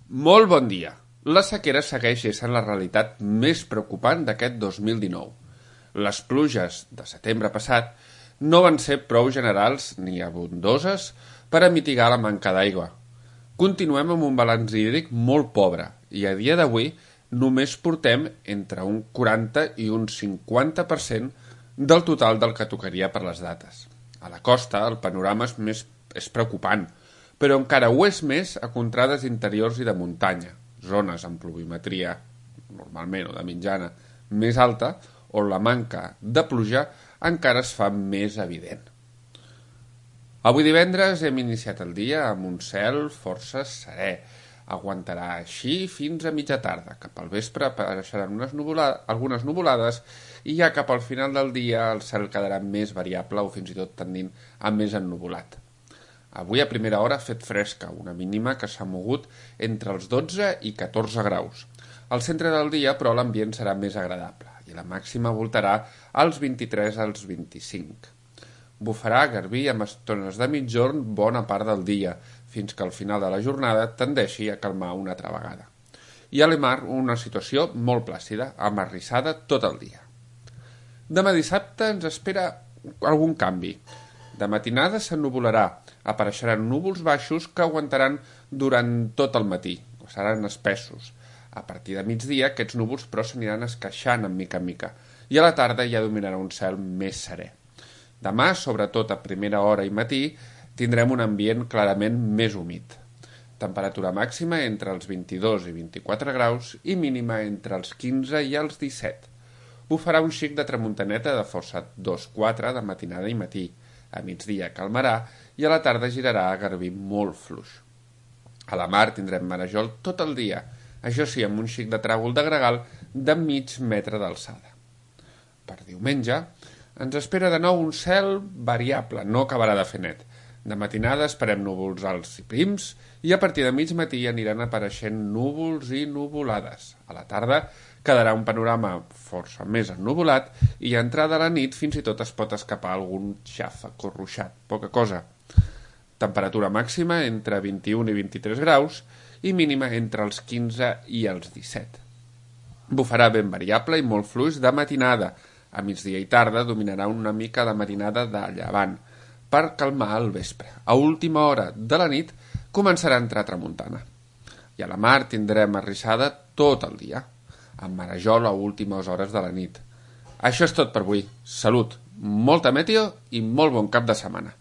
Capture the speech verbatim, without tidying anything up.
Molt bon dia. La sequera segueix essent la realitat més preocupant d'aquest dos mil dinou. Les pluges de setembre passat no van ser prou generals ni abundoses per a mitigar la manca d'aigua. Continuem amb un balanç hídric molt pobre i a dia d'avui només portem entre un quaranta i un cinquanta per cent del total del que tocaria per les dates. A la costa el panorama és, més, és preocupant, però encara ho és més a contrades interiors i de muntanya, zones amb pluviometria, normalment o de mitjana, més alta, on la manca de pluja encara es fa més evident. Avui divendres hem iniciat el dia amb un cel força serè. Aguantarà així fins a mitja tarda. Cap al vespre apareixeran unes nuvolades, algunes nuvolades i ja cap al final del dia el cel quedarà més variable o fins i tot tendint a més ennuvolat. Avui a primera hora ha fet fresca, una mínima que s'ha mogut entre els dotze i catorze graus. Al centre del dia, però, l'ambient serà més agradable i la màxima voltarà als vint-i-tres als vint-i-cinc. Bufarà garbí amb estones de mitjorn bona part del dia, fins que al final de la jornada tendeixi a calmar una altra vegada. I a l'Emar una situació molt plàcida, amarrissada tot el dia. Demà dissabte ens espera algun canvi. De matinada s'ennuvolarà, apareixeran núvols baixos que aguantaran durant tot el matí, seran espessos. A partir de migdia aquests núvols però s'aniran esqueixant en mica en mica i a la tarda ja dominarà un cel més serè. Demà, sobretot a primera hora i matí, tindrem un ambient clarament més humit. Temperatura màxima entre els vint-i-dos i vint-i-quatre graus i mínima entre els quinze i els disset. Bufarà un xic de tramuntaneta de força dos quatre de matinada i matí. A migdia calmarà i a la tarda girarà a garbí molt fluix. A la mar tindrem marejol tot el dia, això sí, amb un xic de tràgol de gregal de mig metre d'alçada. Per diumenge ens espera de nou un cel variable, no acabarà de fer net. De matinada esperem núvols alts i prims i a partir de mig matí aniran apareixent núvols i nuvolades. A la tarda quedarà un panorama força més ennuvolat i a entrada a la nit fins i tot es pot escapar algun xàfec o ruixat, poca cosa. Temperatura màxima entre vint-i-un i vint-i-tres graus i mínima entre els quinze i els disset. Bufarà ben variable i molt fluix de matinada. A migdia i tarda dominarà una mica de marinada de llevant per calmar el vespre. A última hora de la nit començarà a entrar tramuntana. I a la mar tindrem arrissada tot el dia, amb marejol a últimes hores de la nit. Això és tot per avui. Salut, molta meteo i molt bon cap de setmana.